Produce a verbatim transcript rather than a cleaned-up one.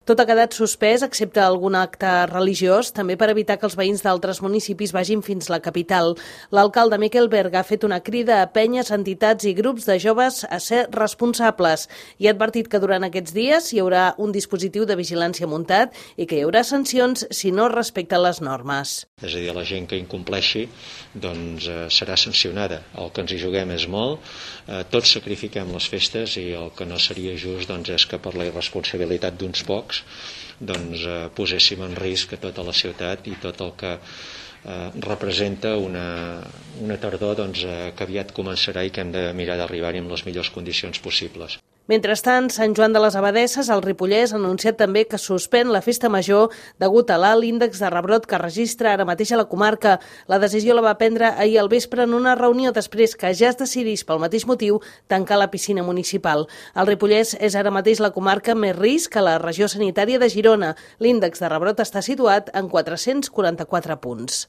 Tot ha quedat suspès, excepte algun acte religiós, també per evitar que els veïns d'altres municipis vagin fins la capital. L'alcalde Miquel Berga ha fet una crida a penyes, entitats i grups de joves a ser responsables i ha advertit que durant aquests dies hi haurà un dispositiu de vigilància muntat i que hi haurà sancions si no respecten les normes. És a dir, la gent que incompleixi doncs, eh, serà sancionada. El que ens hi juguem és molt, eh, tots sacrifiquem les festes i el que no seria just doncs, és que per la irresponsabilitat d'uns pocs doncs, eh, poséssim en risc a tota la ciutat i tot el que eh, representa una, una tardor doncs, eh, que aviat començarà i que hem de mirar d'arribar-hi amb les millors condicions possibles. Mentrestant, Sant Joan de les Abadesses, al Ripollès, ha anunciat també que suspèn la festa major degut a l'alt índex de rebrot que registra ara mateix a la comarca. La decisió la va prendre ahir al vespre en una reunió després que ja es decidís pel mateix motiu tancar la piscina municipal. El Ripollès és ara mateix la comarca més risc a la regió sanitària de Girona. L'índex de rebrot està situat en quatre-cents quaranta-quatre punts.